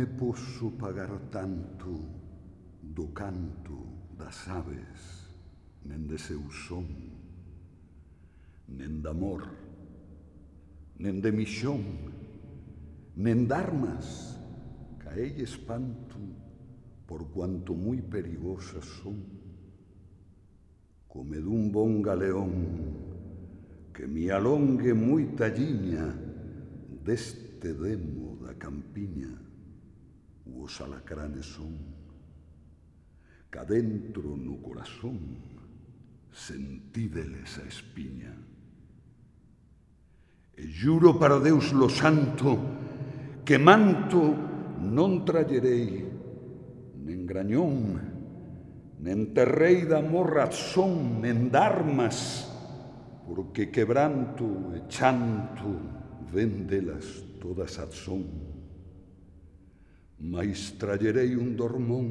me posso pagar tanto do canto das aves, nen de seu son, nen d'amor, nen de mixón, nen d'armas, ca ell espanto por cuanto muy perigosas son, come d'un bon galeón que mi alongue muy talliña deste demo da campiña, os alacranes son, ca dentro no corazón sentídeles a espiña. E juro para Deus lo santo que manto non trallerei, nen grañón, nen terrei d'amor razón, nen d'armas, porque quebranto e chanto ven delas todas a son. Mais trallerei un dormón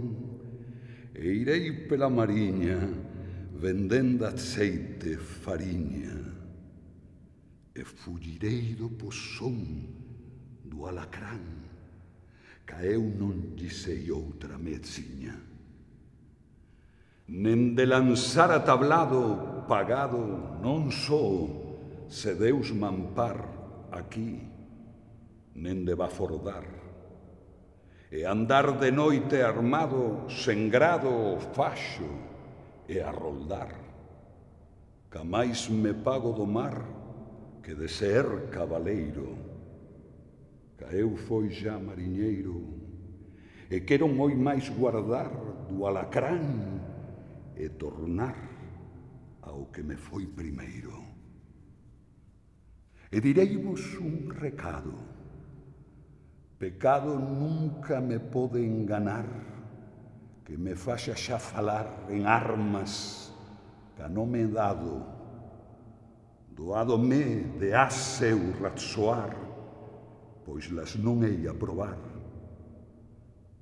e irei pela mariña vendendo aceite fariña e fullirei do pozón do alacrán, ca eu non lle sei outra medziña. Nen de lanzar a tablado pagado non só se Deus m'ampar aquí, nen de bafordar, e andar de noite armado, sen grado o faxo e a roldar. Ca máis me pago do mar que de ser cabaleiro, ca eu foi xa mariñeiro e quero moi máis guardar do alacrán e tornar ao que me foi primeiro. E direivos un recado: pecado nunca me pode enganar, que me faxa xa falar en armas ca non me dado, doado-me de a seu ratzoar, pois las non hei a probar.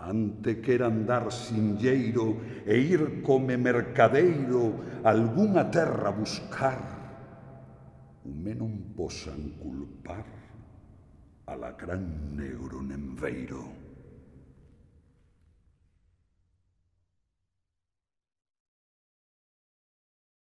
Ante quera andar sinlleiro e ir come mercadeiro algunha terra buscar, o me non posan culpar alacrán negro nen veiro.